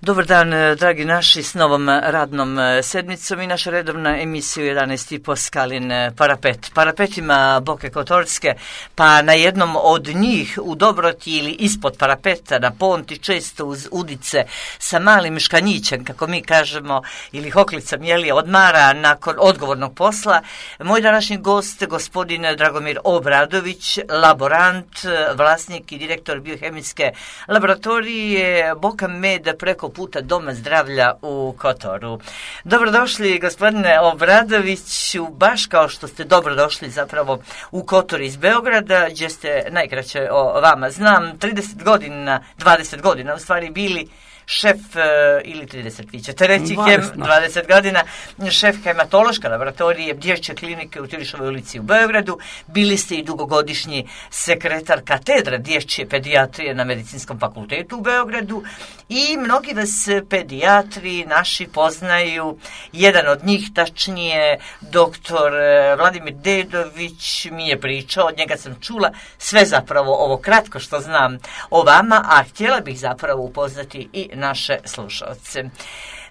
Dobar dan, dragi naši, s novom radnom sedmicom i naša redovna emisija u 11.30 Skalin parapet. Parapetima Boke Kotorske, pa na jednom od njih u Dobroti ili ispod parapeta na ponti, često uz udice sa malim škanjićem, kako mi kažemo, ili hoklicom, odmara nakon odgovornog posla. Moj današnji gost, gospodin Dragomir Obradović, laborant, vlasnik i direktor biohemijske laboratorije Boka Med preko puta Doma zdravlja u Kotoru. Dobrodošli, gospodine Obradoviću, baš kao što ste dobrodošli zapravo u Kotor iz Beograda, gdje ste, najkraće o vama znam, 20 godina u stvari bili šef, ili 30, vi ćete reći, 20 godina, šef hematološke laboratorije dječje klinike u Tilišovoj ulici u Beogradu. Bili ste i dugogodišnji sekretar katedra dječje pedijatrije na Medicinskom fakultetu u Beogradu i mnogi vas pedijatri naši poznaju. Jedan od njih, tačnije, doktor Vladimir Dedović mi je pričao, od njega sam čula sve zapravo ovo kratko što znam o vama, a htjela bih zapravo upoznati i naše slušalce.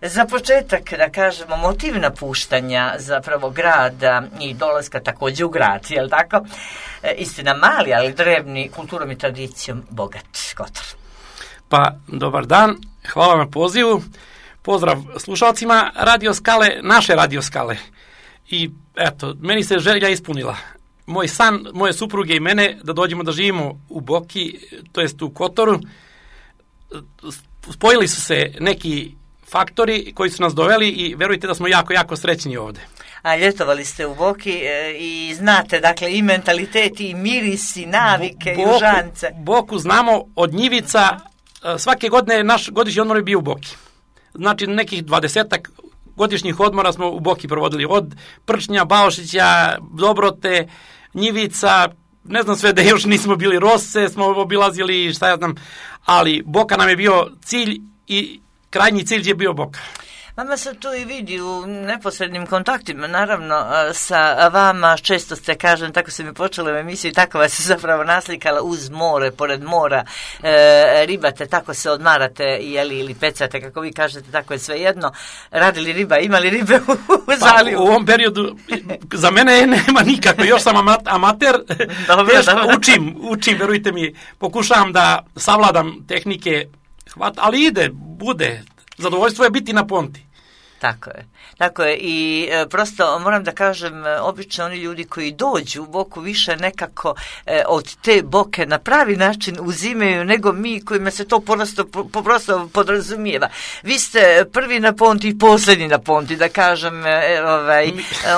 Za početak, da kažemo, motiv napuštanja zapravo grada i dolaska također u grad, jel tako? Istina mali, ali drevni, kulturom i tradicijom bogat Kotor. Pa, dobar dan, hvala na pozivu, pozdrav slušalcima Radio Skale, naše Radio Skale. I eto, meni se želja ispunila. Moj san, moje supruge i mene, da dođemo da živimo u Boki, to jest u Kotoru. Spojili su se neki faktori koji su nas doveli i verujte da smo jako, jako srećni ovdje. A ljetovali ste u Boki i znate, dakle, i mentalitet, i miris, i navike, i užance. Boku znamo od njivica, svake godine naš godišnji odmor je bio u Boki. Znači, nekih 20 godišnjih odmora smo u Boki provodili, od Prčnja, Baošića, Dobrote, Njivica, ne znam sve da još nismo bili, Rose smo obilazili, šta ja znam, ali Boka nam je bio cilj i krajnji cilj je bio Boka. Vama se tu i vidi u neposrednim kontaktima, naravno, sa vama, često ste, kažem, tako se mi počelo u emisiji, tako vas se zapravo naslikala uz more, pored mora, ribate, tako se odmarate, ili pecate, kako vi kažete, tako je svejedno. Radili riba, imali ribe u zalivu? Pa, u ovom periodu, za mene nema nikako, još sam amater, dobro. Učim, verujte mi, pokušavam da savladam tehnike, ali bude. Zadovoljstvo je biti na ponti. Tako je i prosto moram da kažem, obično oni ljudi koji dođu u Boku više nekako od te Boke na pravi način uzimaju nego mi kojima se to prosto podrazumijeva. Vi ste prvi na ponti i posljednji na ponti, da kažem,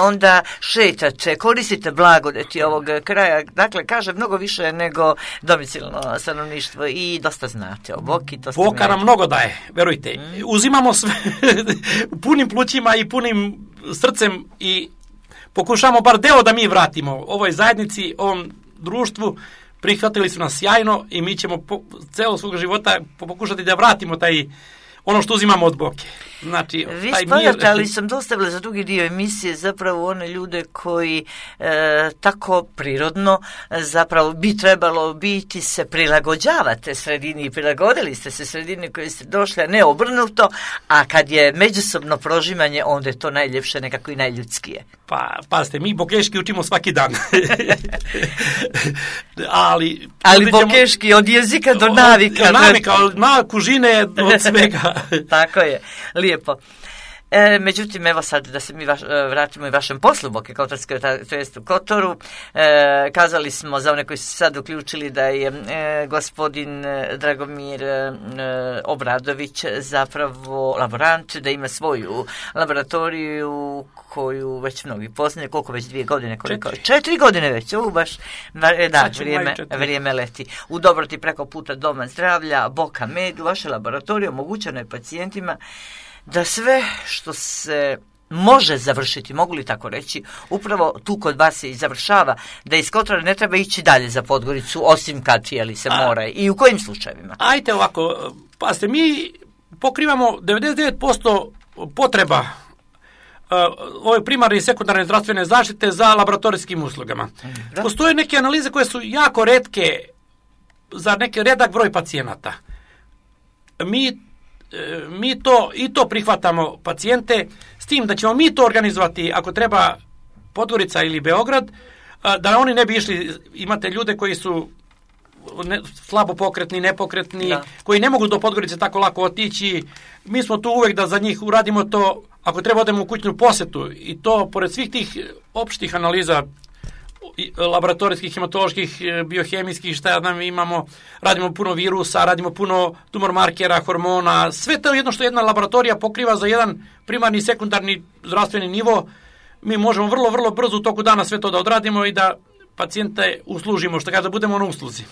onda šetate, koristite blagodeti ovog kraja, dakle, kažem, mnogo više nego domicilno stanovništvo i dosta znate o Boki. Boka nam mnogo daje, verujte. Uzimamo sve punim plućima i punim srcem i pokušamo bar deo da mi vratimo ovoj zajednici, ovom društvu. Prihvatili su nas sjajno i mi ćemo celo svog života pokušati da vratimo ono što uzimamo od Boke. Znači, vi spadate, ali sam dostavila za drugi dio emisije zapravo one ljude koji tako prirodno zapravo bi trebalo biti se prilagođavate sredini i prilagodili ste se sredini koji ste došli, a ne obrnuto, a kad je međusobno prožimanje, onda je to najljepše, nekako i najljudskije. Pa, pazite, mi bokeški učimo svaki dan. ali bokeški od jezika do navika. Od kužine, od svega. Tako je, lijepo. Međutim, evo sad da se mi vratimo i vašem poslu Boke Kotorske, to jest u Kotoru. Kazali smo za one koji su sad uključili da je gospodin Dragomir Obradović zapravo laborant, da ima svoju laboratoriju koju već mnogi poznaju. Koliko već 2 godine? 4 godine već. Baš, da, vrijeme leti. U Dobroti preko puta Doma zdravlja, Boka Med, vaše laboratorije omogućeno je pacijentima da sve što se može završiti, mogu li tako reći, upravo tu kod vas se i završava, da iz Kotora ne treba ići dalje za Podgoricu, osim kad se mora. I u kojim slučajevima? Ajde ovako, pazite, mi pokrivamo 99% potreba ove primarne i sekundarne zdravstvene zaštite za laboratorijskim uslugama. Postoje neke analize koje su jako retke za neki redak broj pacijenata. Mi mi to prihvatamo pacijente, s tim da ćemo mi to organizovati ako treba Podgorica ili Beograd, da oni ne bi išli, imate ljude koji su slabo pokretni, nepokretni, koji ne mogu do Podgorice tako lako otići. Mi smo tu uvek da za njih uradimo to, ako treba odemo u kućnu posetu, i to pored svih tih opštih analiza laboratorijskih, hematoloških, biohemijskih, šta nam imamo, radimo puno virusa, radimo puno tumor markera, hormona, sve to jedno što jedna laboratorija pokriva za jedan primarni i sekundarni zdravstveni nivo. Mi možemo vrlo, vrlo brzo u toku dana sve to da odradimo i da pacijente uslužimo, što kaže, da budemo na usluzi.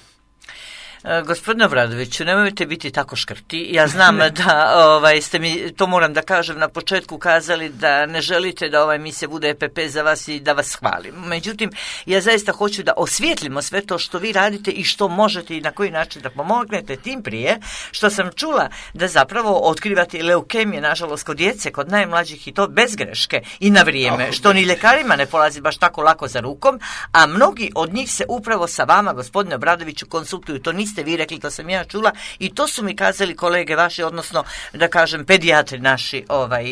Gospodine Obradoviću, nemojte biti tako škrti. Ja znam da ste mi, to moram da kažem, na početku kazali da ne želite da ova emisija bude EPP za vas i da vas hvalim. Međutim, ja zaista hoću da osvijetlimo sve to što vi radite i što možete i na koji način da pomognete, tim prije što sam čula da zapravo otkrivate leukemije, nažalost, kod djece, kod najmlađih, i to bez greške i na vrijeme, što ni ljekarima ne polazi baš tako lako za rukom, a mnogi od njih se upravo sa vama, gospodine Obradoviću, konsultuju. To niste vi rekli, to sam ja čula i to su mi kazali kolege vaši, odnosno da kažem pedijatri naši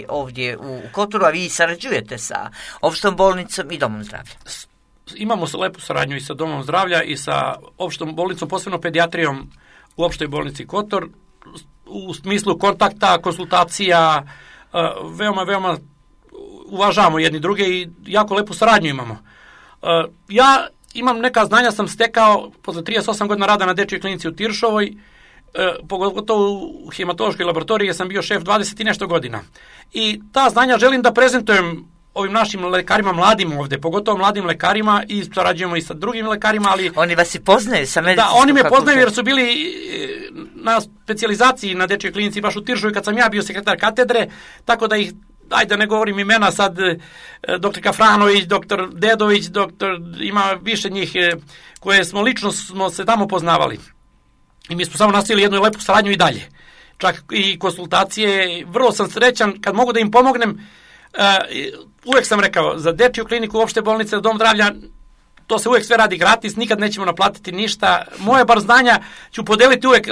ovdje u Kotoru, a vi sarađujete sa opštom bolnicom i domom zdravlja. Imamo lepu saradnju i sa domom zdravlja i sa opštom bolnicom, posebno pedijatrijom u opštoj bolnici Kotor, u smislu kontakta, konsultacija, veoma uvažavamo jedni druge i jako lepu saradnju imamo. Ja imam neka znanja, sam stekao posle 38 godina rada na dečjoj klinici u Tiršovoj, pogotovo u hematološkoj laboratoriji sam bio šef 20 i nešto godina. I ta znanja želim da prezentujem ovim našim lekarima, mladim ovde, pogotovo mladim lekarima, i sarađujemo i sa drugim lekarima, ali... Oni vas i poznaju sa medicinskom. Da, oni me poznaju jer su bili na specijalizaciji na dečjoj klinici baš u Tiršovoj kad sam ja bio sekretar katedre, tako da ih, ajde ne govorim imena sad, doktor Kafranović, doktor Dedović, ima više njih koje smo se tamo poznavali. I mi smo samo nastavili jednu lepu saradnju i dalje. Čak i konsultacije, vrlo sam srećan kad mogu da im pomognem. Uvek sam rekao, za dečju kliniku, opšte bolnice, dom zdravlja, to se uvek sve radi gratis, nikad nećemo naplatiti ništa. Moje bar znanja ću podeliti uvek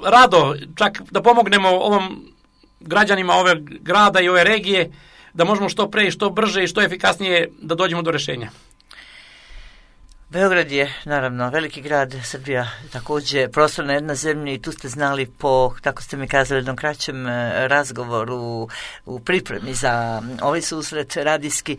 rado, čak da pomognemo ovom građanima ove grada i ove regije, da možemo što pre i što brže i što efikasnije da dođemo do rešenja. Beograd je, naravno, veliki grad, Srbija također prostorna jedna zemlja, i tu ste znali po, tako ste mi kazali, jednom kraćem razgovoru u pripremi za ovaj susret radijski,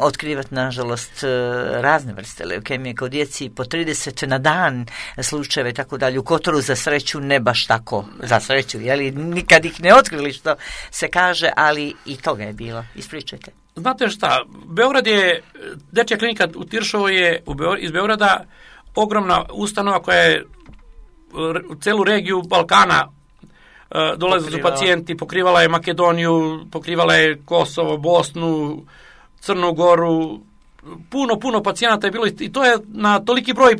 otkrivati, nažalost, razne vrste leukemije kod djeci, po 30 na dan slučajeva i tako dalje. U Kotoru za sreću ne baš tako, za sreću, jeli, nikad ih ne otkrili, što se kaže, ali i toga je bilo. Ispričajte. Znate šta, Beograd je, dečja klinika u Tiršovoj je iz Beograda ogromna ustanova koja je u celu regiju Balkana dolaze su pacijenti, pokrivala je Makedoniju, pokrivala je Kosovo, Bosnu, Crnu Goru, puno pacijenata je bilo i to je na toliki broj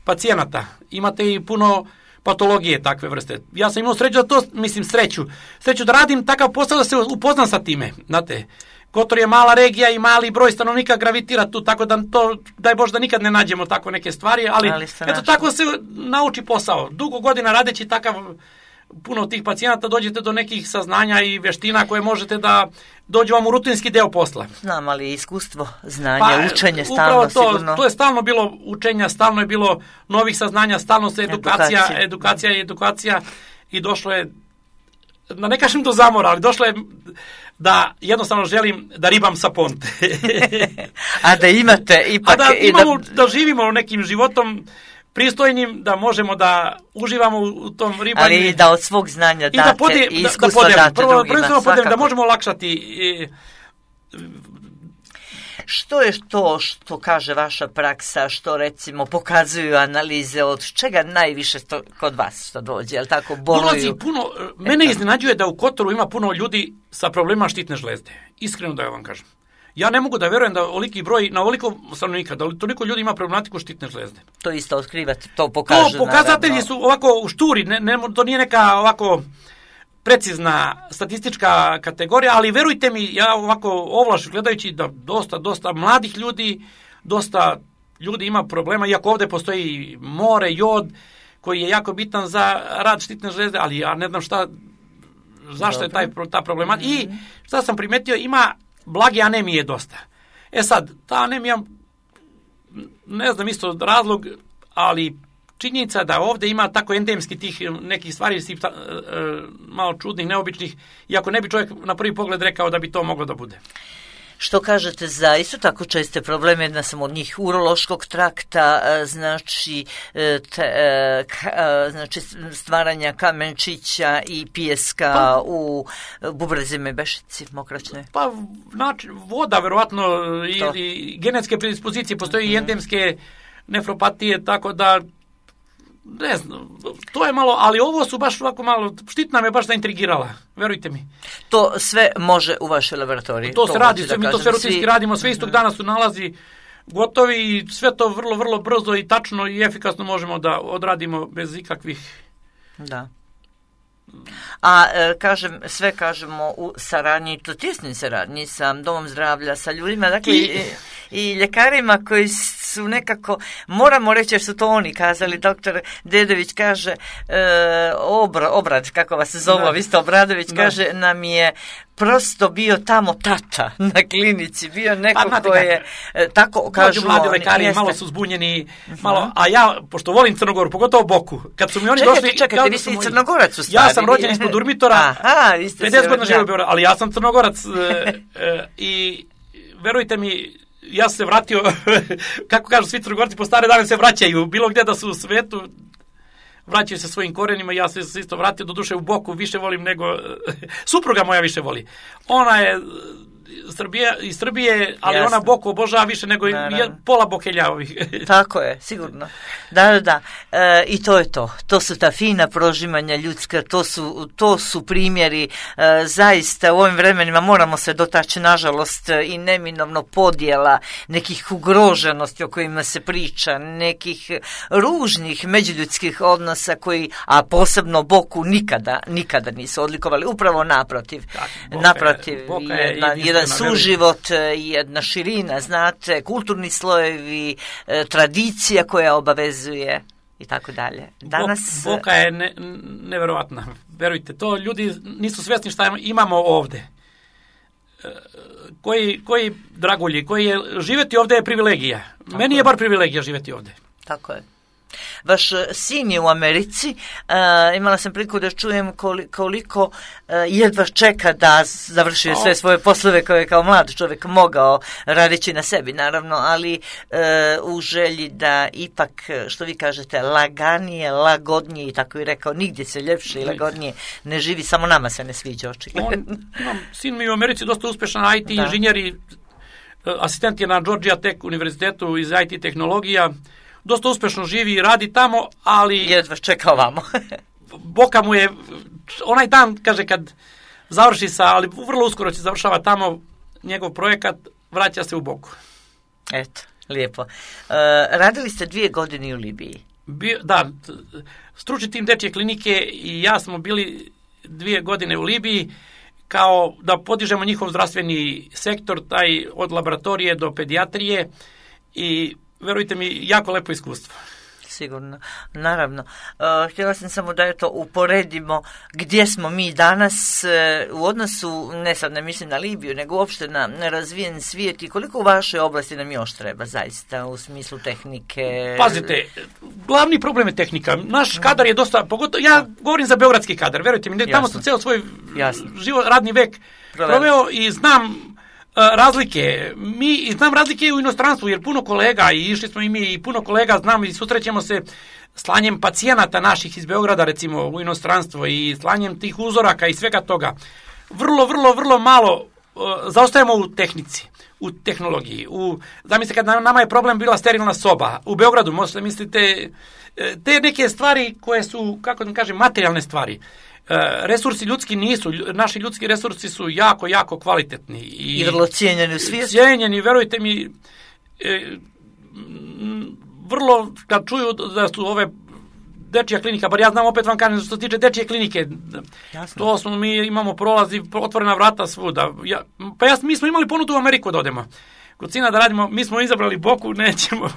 pacijenata. Imate i puno patologije takve vrste. Ja sam imao sreću da to, sreću da radim takav posao da se upoznam sa time, znate. Kotor je mala regija i mali broj stanovnika gravitira tu, tako da to, daj Bože da nikad ne nađemo tako neke stvari, ali eto tako se nauči posao. Dugo godina radeći takav, puno tih pacijenata, dođete do nekih saznanja i veština koje možete da dođu vam u rutinski deo posla. Znam, ali iskustvo, znanje, učenje stalno sigurno. To je stalno bilo učenja, stalno je bilo novih saznanja, stalno se edukacija i došlo je, da ne kažem do zamora, ali došlo je da jednostavno želim da ribam sa ponte. A da imate ipak... Da živimo nekim životom pristojnim, da možemo da uživamo u tom ribanju. Ali da od svog znanja date i iskustva date drugima. Da možemo olakšati. Što je to što kaže vaša praksa, što recimo pokazuju analize, od čega najviše kod vas što dođe, jel tako, boluju? Mene iznenađuje da u Kotoru ima puno ljudi sa problemima štitne žlezde. Iskreno da vam kažem. Ja ne mogu da verujem da oliki broj, na ovoliko stanovnika, da toliko ljudi ima problematiku štitne žlezde. To isto otkrivate, to pokažu. To pokazatelji su ovako u šturi, to nije neka ovako precizna statistička kategorija, ali verujte mi, ja ovako ovlaš gledajući da dosta mladih ljudi, dosta ljudi ima problema, iako ovde postoji more, jod, koji je jako bitan za rad štitne žlezde, ali ja ne znam šta, zašto je ta problema. I šta sam primetio, ima blage anemije dosta. Sad, ta anemija, ne znam isto razlog, ali činjenica da ovdje ima tako endemski tih nekih stvari malo čudnih, neobičnih, iako ne bi čovjek na prvi pogled rekao da bi to moglo da bude. Što kažete za isto tako česte probleme, jedna sam od njih urološkog trakta, znači stvaranja kamenčića i pijeska u bubrezima i bešici mokraćne? Pa, znači, voda, verovatno, ili genetske predispozicije, postoje i endemske nefropatije, tako da ne znam, to je malo, ali ovo su baš ovako malo, štitna me baš zaintrigirala, verujte mi. To sve može u vašoj laboratoriji? To se radi, mi to sve rutinski radimo, sve istog dana su nalazi gotovi i sve to vrlo, vrlo brzo i tačno i efikasno možemo da odradimo bez ikakvih... Da. A sve kažemo u saradnji, to tjesnoj saradnji sa Domom zdravlja, sa ljudima, dakle i ljekarima koji su nekako, moramo reći jer su to oni kazali, doktor Dedović kaže, Obrad, kako vas se zove, vi ste Obradović, kaže, nam je prosto bio tamo tata na klinici, bio neko ko je, tako kažu oni. Mladi lekari, malo su zbunjeni, malo, a ja, pošto volim Crnogoru, pogotovo Boku, kad su mi oni došli... Čekajte, vi ste i Crnogorac u stvari. Ja sam rođen ispod Durmitora, 50 godina živio u Beogradu, ali ja sam Crnogorac i verujte mi, ja sam se vratio, kako kažu svi Crnogorci, po stare dane se vraćaju, bilo gdje da su u svetu, vraćaju se svojim korenima, ja sam se isto vratio, do duše u Boku, više volim nego, supruga moja više voli. Ona je iz Srbije, ali ona Boku obožava više nego pola Bokelja ovih. Tako je, sigurno. Da. I to je to. To su ta fina prožimanja ljudska, to su primjeri. Zaista u ovim vremenima moramo se dotaći, nažalost, i neminovno podjela, nekih ugroženosti o kojima se priča, nekih ružnih međuljudskih odnosa koji, a posebno Boku, nikada nisu odlikovali. Upravo naprotiv. Naprotiv, jedan suživot, jedna širina, znate, kulturni slojevi, tradicija koja obavezuje i tako dalje. Danas... Boka je neverovatna. Verujte, to ljudi nisu svjesni šta imamo ovdje. Koji dragulji, živjeti ovdje je privilegija. Tako Meni je bar privilegija živjeti ovdje. Tako je. Vaš sin je u Americi, imala sam priliku da čujem koliko jedva čeka da završi sve svoje poslove koje je kao mlad čovjek mogao radeći na sebi, naravno, ali u želji da ipak, što vi kažete, laganije, lagodnije i tako je rekao, nigdje se ljepše i lagodnije ne živi, samo nama se ne sviđa očigledno. Sin mi je u Americi dosta uspešan IT inženjer i asistent je na Georgia Tech univerzitetu iz IT tehnologija. Dosta uspešno živi i radi tamo, ali... Jedva čeka ovamo. Boka mu je, onaj dan, kaže, kad završi ali vrlo uskoro će završava tamo njegov projekat, vraća se u Boku. Eto, lijepo. Radili ste 2 godine u Libiji. Da, stručni tim dečje klinike i ja smo bili 2 godine u Libiji, kao da podižemo njihov zdravstveni sektor, taj od laboratorije do pedijatrije i verujte mi, jako lepo iskustvo. Sigurno, naravno. Htjela sam samo da uporedimo gdje smo mi danas u odnosu, ne sad ne mislim na Libiju, nego uopšte na nerazvijen svijet i koliko u vašoj oblasti nam još treba zaista u smislu tehnike. Pazite, glavni problem je tehnika. Naš kadar je dosta, pogotovo, ja govorim za beogradski kadar, verujte mi, tamo sam ceo svoj radni vek proveo i znam razlike. Znam razlike u inostranstvu, jer puno kolega, i išli smo i mi, i puno kolega znam i susrećemo se slanjem pacijenata naših iz Beograda, recimo, u inostranstvo i slanjem tih uzoraka i svega toga. Vrlo malo zaostajemo u tehnici, u tehnologiji. Zamislite, kad nama je problem bila sterilna soba. U Beogradu, možete mislite, te neke stvari koje su, kako da kažem, materijalne stvari. Resursi ljudski nisu, naši ljudski resursi su jako kvalitetni. I vrlo cijenjeni u svijetu. Cijenjeni, verujte mi, vrlo, kad čuju da su ove dečja klinika, bar ja znam, opet vam kažem, što se tiče dečje klinike, jasno. To smo, mi imamo prolazi, otvorena vrata svuda. Mi smo imali ponudu u Ameriku da odemo. Kod sina da radimo, mi smo izabrali Boku, nećemo.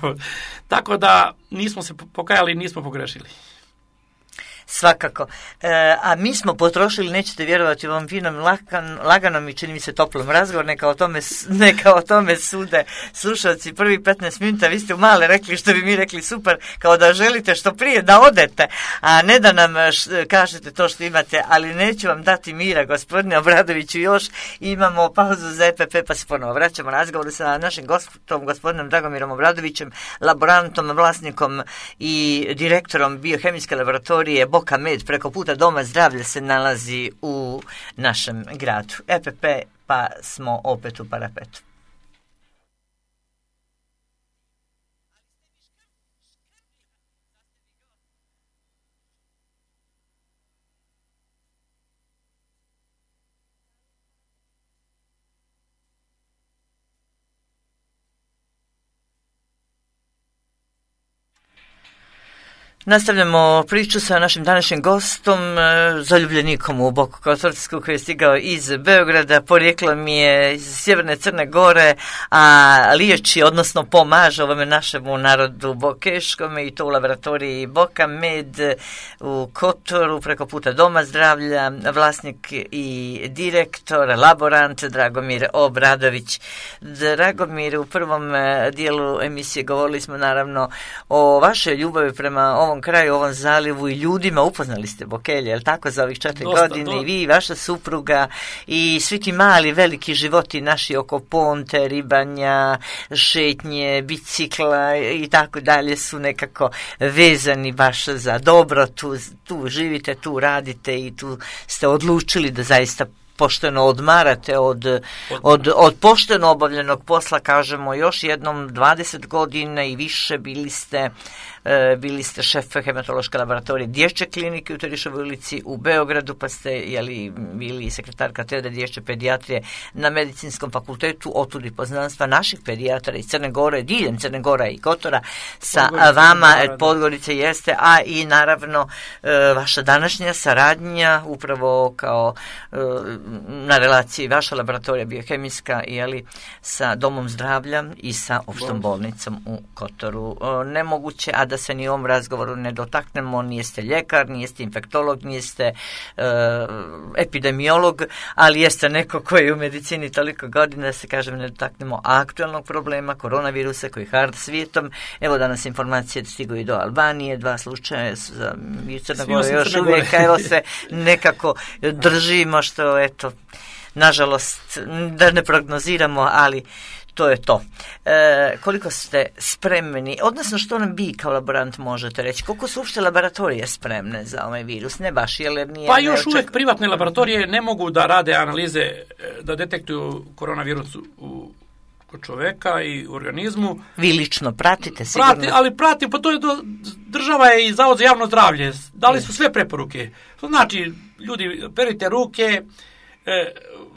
Tako da nismo se pokajali, nismo pogrešili. Svakako. A mi smo potrošili, nećete vjerovati, u ovom finom, laganom i čini mi se toplom razgovor, neka o tome sude slušalci prvi 15 minuta. Vi ste u male rekli, što bi mi rekli, super, kao da želite što prije da odete, a ne da nam kažete to što imate, ali neću vam dati mira, gospodine Obradoviću, još imamo pauzu za EPP, pa se ponovo vraćamo razgovoru sa našim gostom, gospodinom Dragomirom Obradovićem, laborantom, vlasnikom i direktorom biohemijske laboratorije Boka Med, preko puta Doma zdravlja se nalazi u našem gradu. EPP, pa smo opet u Parapetu. Nastavljamo priču sa našim današnjim gostom, zaljubljenikom u Boku Kotorsku, koji je stigao iz Beograda, porijeklom je iz sjeverne Crne Gore, a liječi, odnosno pomaže ovome našemu narodu bokeškome i to u laboratoriji Boka Med u Kotoru, preko puta Doma zdravlja, vlasnik i direktor, laborant Dragomir Obradović. Dragomir, u prvom dijelu emisije govorili smo naravno o vašoj ljubavi prema ovom kraju, ovom zalivu i ljudima. Upoznali ste Bokelje, je li tako, za ovih 4 godine? I vi, vaša supruga i svi ti mali, veliki životi naši oko ponte, ribanja, šetnje, bicikla i tako dalje su nekako vezani baš za dobro. Tu živite, tu radite i tu ste odlučili da zaista pošteno odmarate od pošteno obavljenog posla, kažemo još jednom, 20 godina i više bili ste šef hematološke laboratorije dječje klinike u Terišovoj ulici u Beogradu, pa ste bili sekretar katedre dječje pedijatrije na Medicinskom fakultetu, otud i poznanstva naših pedijatara iz Crne Gore, diljem Crne Gora i Kotora sa vama, Podgorice jeste, a i naravno vaša današnja saradnja upravo kao na relaciji vaša laboratorija biohemijska sa Domom zdravlja i sa opštom bolnicom u Kotoru. Nemoguće, a da se ni u ovom razgovoru ne dotaknemo, nijeste ljekar, nijeste infektolog, nijeste epidemiolog, ali jeste neko koji je u medicini toliko godina, da se kažem, ne dotaknemo aktualnog problema koronavirusa koji hard svijetom. Evo danas informacije stigu i do Albanije, 2 slučaja i Crna Gora još uvijek, evo se nekako držimo, što eto, nažalost, da ne prognoziramo, ali to je to. Koliko ste spremni, odnosno što nam vi kao laborant možete reći, koliko su uopšte laboratorije spremne za ovaj virus? Ne baš, jer nije... Pa još uvijek privatne laboratorije ne mogu da rade analize, da detektuju koronavirus kod čoveka i u organizmu. Vi lično pratite sigurno? Prati, pa to je država je i Zavod za javno zdravlje. Dali su sve preporuke. To znači, ljudi, perite ruke,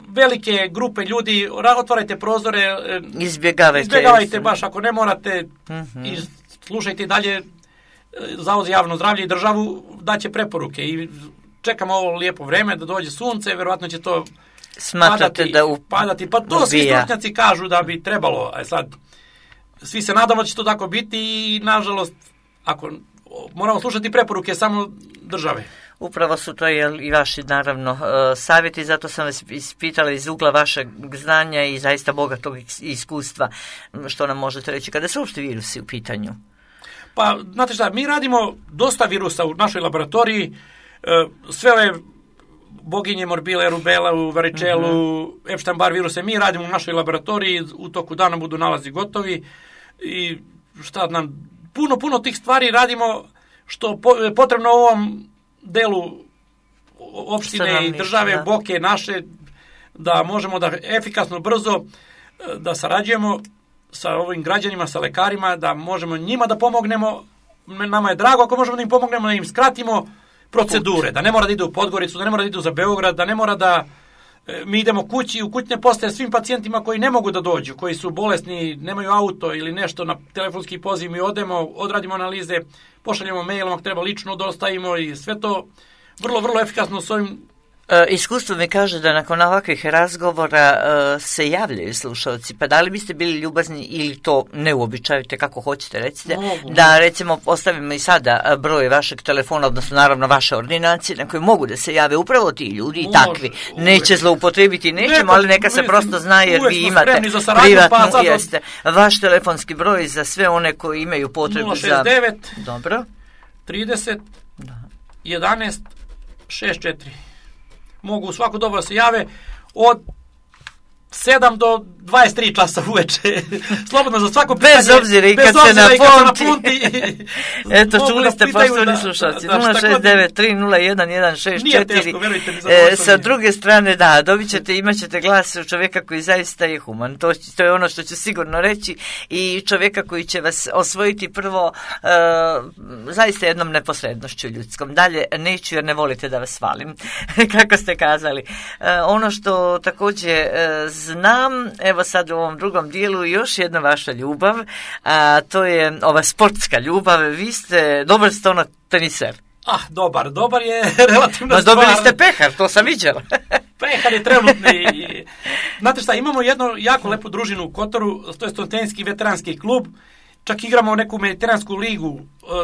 velike grupe ljudi, otvarajte prozore, izbjegavajte baš ako ne morate, i slušajte dalje Zavod za javno zdravlje i državu daće preporuke i čekamo ovo lijepo vreme da dođe sunce, verovatno će to padati, pa to svi stručnjaci kažu da bi trebalo, a sad svi se nadamo da će to tako biti i nažalost ako moramo slušati preporuke samo države. Upravo su to i vaši, naravno, savjeti, zato sam vas ispitala iz ugla vašeg znanja i zaista bogatog iskustva, što nam možete reći kada su uopšte virusi u pitanju. Pa, znate šta, mi radimo dosta virusa u našoj laboratoriji, sve ove boginje, morbile, rubela, varičelu, Epstein-Barr viruse, mi radimo u našoj laboratoriji, u toku dana budu nalazi gotovi i šta nam, puno tih stvari radimo što je potrebno u ovom delu opštine i države, Boke naše, da možemo da efikasno, brzo da sarađujemo sa ovim građanima, sa lekarima, da možemo njima da pomognemo. Nama je drago ako možemo da im pomognemo, da im skratimo procedure, da ne mora da idu u Podgoricu, da ne mora da idu za Beograd, da ne mora da mi idemo kući, u kućne postaje svim pacijentima koji ne mogu da dođu, koji su bolesni, nemaju auto ili nešto, na telefonski poziv mi odemo, odradimo analize, pošaljemo mailom, ako treba lično dostavimo i sve to vrlo efikasno s ovim Iskustvo mi kaže da nakon ovakvih razgovora se javljaju slušalci, pa da li biste bili ljubazni ili to ne uobičajite, kako hoćete, recite, da recimo ostavimo i sada broj vašeg telefona, odnosno naravno vaše ordinacije na koje mogu da se jave upravo ti ljudi i takvi. Neće zloupotrebiti, nećemo, ali neka se prosto zna jer vi imate privatno, jeste, vaš telefonski broj za sve one koji imaju potrebu za... 069 dobro 30 11 64. Mogu u svako doba se jave od 7 do 23 časa uveče. Slobodno za svako pitanje. Bez obzira i kad se napunti. Eto, čuli ste poštovani slušalci. 069-301-164. Nije teško, verujte mi. Sa druge strane, da, imat ćete glas čovjeka koji zaista je human. To je ono što ću sigurno reći i čovjeka koji će vas osvojiti prvo zaista jednom neposrednošću ljudskom. Dalje neću jer ne volite da vas hvalim, kako ste kazali. Ono što također znam, evo sad u ovom drugom dijelu još jedna vaša ljubav, a to je ova sportska ljubav. Vi ste dobar teniser. Dobar je relativno stvar. Dobili ste pehar, to sam viđala. Pehar je trenutni. Znate šta, imamo jednu jako lepu družinu u Kotoru, to je Stontenski veteranski klub. Čak igramo neku mediteransku ligu,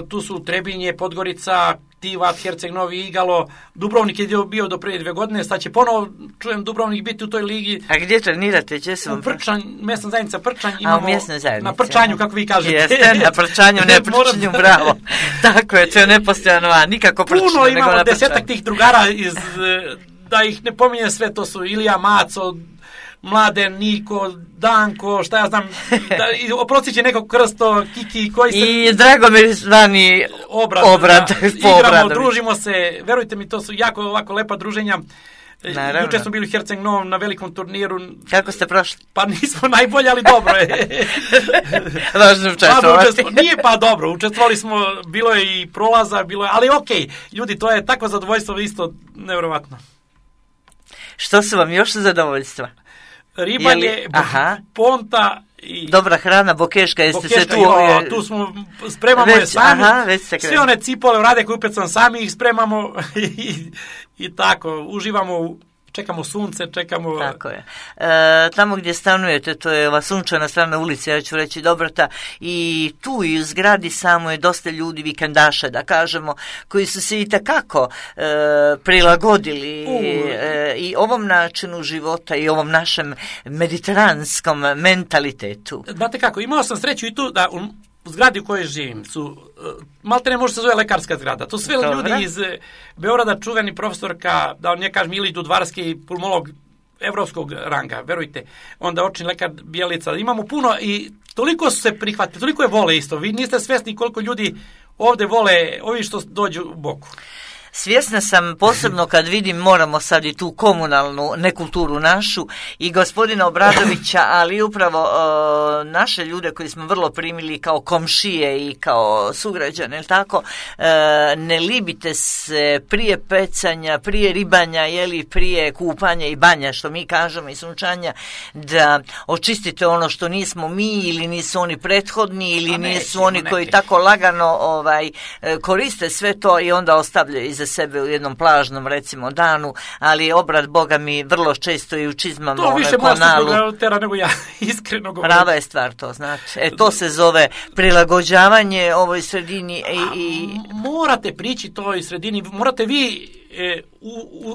tu su Trebinje, Podgorica, Tivat, Herceg Novi, Igalo, Dubrovnik je bio do prije 2 godine, sad će ponovo, čujem, Dubrovnik biti u toj ligi. A gdje trenirate? U Prčanj, mjesna zajednica Prčanj. Imamo, u mjesnoj zajednici. Na Prčanju, kako vi kažete. Jeste, na Prčanju, ne Prčanju, bravo. Tako je, to je nepostojano, nikako Prčanju. Puno imamo 10 tih drugara da ih ne pominjem sve, to su Ilija Maco, Mladen, Niko, Danko, šta ja znam, oprosti će nekog Krsto, Kiki, koji se... I Dragomir zvani Obrad. Igramo, družimo se, verujte mi, to su jako ovako lepa druženja. Naravno. Juče smo bili u Herceg Novom na velikom turniru. Kako ste prošli? Pa nismo najbolji, ali dobro je. Važno učestvovati. Nije pa dobro, učestvovali smo, bilo je i prolaza, ali okej, ljudi, to je takvo zadovoljstvo isto nevjerovatno. Što su vam još zadovoljstva? Ribanje, ponta i... Dobra hrana, bokeška, jeste se tu... Tu smo, spremamo je sami. Sve one cipole rade koje upecam sami ih spremamo i tako, uživamo, čekamo sunce, čekamo... Tako je. Tamo gdje stanujete, to je ova sunčana strana ulice, ja ću reći Dobrota, i tu i u zgradi samo je dosta ljudi, vikendaša, da kažemo, koji su se itekako prilagodili i ovom načinu života i ovom našem mediteranskom mentalitetu. Znate kako, imao sam sreću i tu da u zgradi u kojoj živim su, malte ne može se zove lekarska zgrada, to sve ljudi iz Beograda, čuveni profesorka, da ne kažem Ili Dudvarski, pulmolog evropskog ranga, verujte, onda očni lekar Bijelica, imamo puno i toliko su se prihvatili, toliko je vole isto, vi niste svjesni koliko ljudi ovdje vole, ovi što dođu u boku. Svjesna sam posebno kad vidim, moramo sad i tu komunalnu nekulturu našu i gospodina Obradovića, ali upravo naše ljude koji smo vrlo primili kao komšije i kao sugrađane, ili tako, ne libite se prije pecanja, prije ribanja, prije kupanja i banja, što mi kažemo, i sunčanja, da očistite ono što nismo mi ili nisu oni prethodni ili nisu oni koji tako lagano koriste sve to i onda ostavljaju iza sebe u jednom plažnom, recimo, danu, ali obrat, Boga mi, vrlo često i u čizmama to više moja tera nego ja, iskreno govorim. Prava je stvar to, znači. To se zove prilagođavanje ovoj sredini i... Morate prići toj sredini, morate vi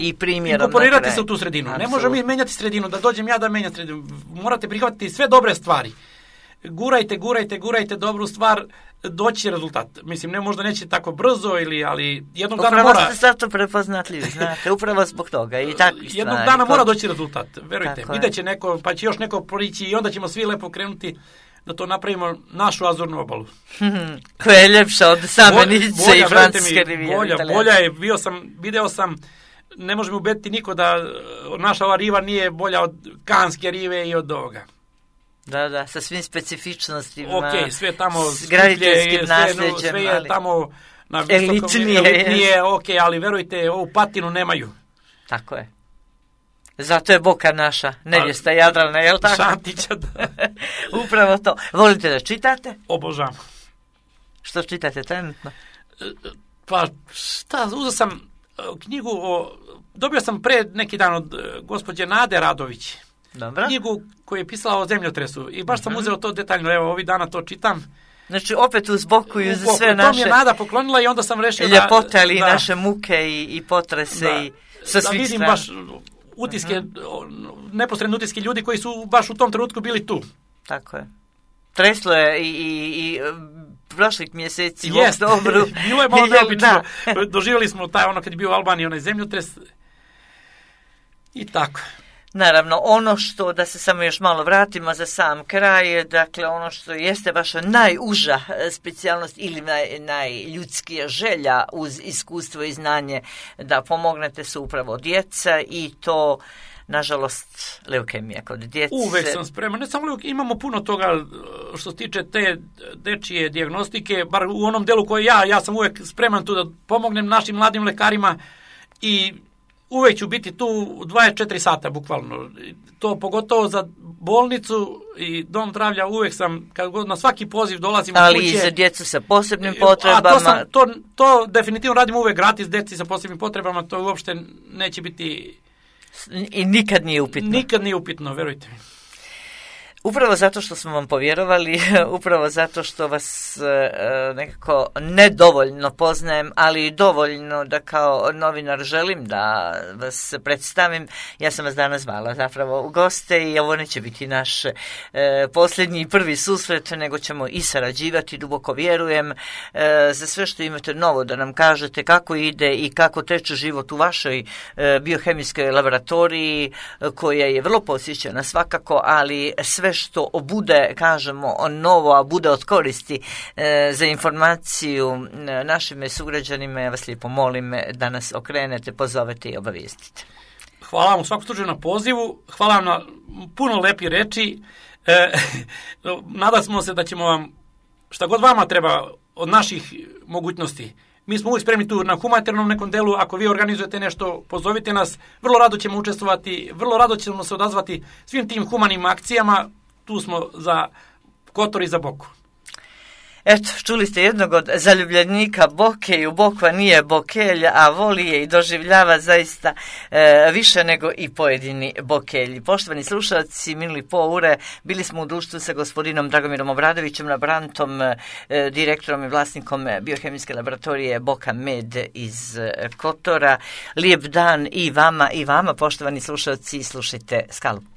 i primjerom inkorporirati se u tu sredinu. Absolut. Ne možemo mi menjati sredinu, da dođem ja da menjam sredinu. Morate prihvatiti sve dobre stvari. Gurajte dobru stvar, doći rezultat. Mislim, možda neće tako brzo, ali jednog dana mora... Upravo ste zato prepoznatljivi, znate, upravo zbog toga i takvi stvari. Jednog dana mora doći rezultat, verujte. Vidjet će neko, pa će još neko prići i onda ćemo svi lepo krenuti da to napravimo našu azurnu obalu. Koja je ljepša od same Nice i Francuske rivijere. Bolja je, video sam, ne možemo ubediti niko da naša ova riva nije bolja od Kanske rive i od ovoga. Da, sa svim specifičnostima. Ok, sve tamo graditeljskim nasljeđem. Sve je tamo na visokom, elitnije, ok, ali verujte, ovu patinu nemaju. Tako je. Zato je Boka naša, nevjesta Jadrana, je li tako? Šantića, da. Upravo to. Volite da čitate? Obožavam. Što čitate trenutno? Pa, uzeo sam knjigu dobio sam pre neki dan od gospođe Nade Radović. Dobro. Knjigu koju je pisala o zemljotresu i baš sam uzeo to detaljno, evo ovih dana to čitam. Znači opet uz boku i za sve naše... To mi je Nada poklonila i onda sam rešio ljepote, ali i naše muke i potrese i sa svih vidim strana. Baš utiske, neposredne utiske ljudi koji su baš u tom trenutku bili tu. Tako je. Treslo je i prošlih mjeseci. Jeste, bilo je malo neobično. Doživjeli smo taj kad je bio u Albaniji onaj zemljotres i tako. Naravno, ono što, da se samo još malo vratimo za sam kraj, dakle ono što jeste vaša najuža specijalnost ili najljudskija želja uz iskustvo i znanje da pomognete su upravo djeca i to, nažalost, leukemija kod djece. Uvek sam spreman, ne samo imamo puno toga što se tiče te dečije dijagnostike, bar u onom delu koji ja sam uvek spreman tu da pomognem našim mladim lekarima i uvek ću biti tu 24 sata, bukvalno. To pogotovo za bolnicu i dom zdravlja uvek sam, kad god na svaki poziv dolazim u kuće. Ali i za djecu sa posebnim potrebama. To definitivno radimo uvek gratis, djeci sa posebnim potrebama, to uopšte neće biti... I nikad nije upitno. Nikad nije upitno, verujte mi. Upravo zato što smo vam povjerovali, upravo zato što vas nekako nedovoljno poznajem, ali dovoljno da kao novinar želim da vas predstavim. Ja sam vas danas zvala zapravo u goste i ovo neće biti naš posljednji i prvi susret, nego ćemo i sarađivati, duboko vjerujem, za sve što imate novo da nam kažete kako ide i kako teče život u vašoj biohemijskoj laboratoriji, koja je vrlo posjećena svakako, ali sve što bude, kažemo, novo, a bude od koristi za informaciju našim sugrađanima, ja vas lijepo molim da nas okrenete, pozovete i obavijestite. Hvala vam u svakom slučaju na pozivu, hvala vam na puno lepih reči. Nadamo se da ćemo vam, šta god vama treba od naših mogućnosti, mi smo uvijek spremni tu na humanitarnom nekom delu, ako vi organizujete nešto, pozovite nas, vrlo rado ćemo učestvovati, vrlo rado ćemo se odazvati svim tim humanim akcijama, tu smo za Kotor i za Boku. Eto, čuli ste jednog od zaljubljenika Boke, u Bokva nije Bokelj, a voli je i doživljava zaista više nego i pojedini Bokelji. Poštovani slušalci, minuli pol ure bili smo u društvu sa gospodinom Dragomirom Obradovićem, laborantom, direktorom i vlasnikom biohemijske laboratorije Boka Med iz Kotora. Lijep dan i vama, poštovani slušalci, slušajte Skalu.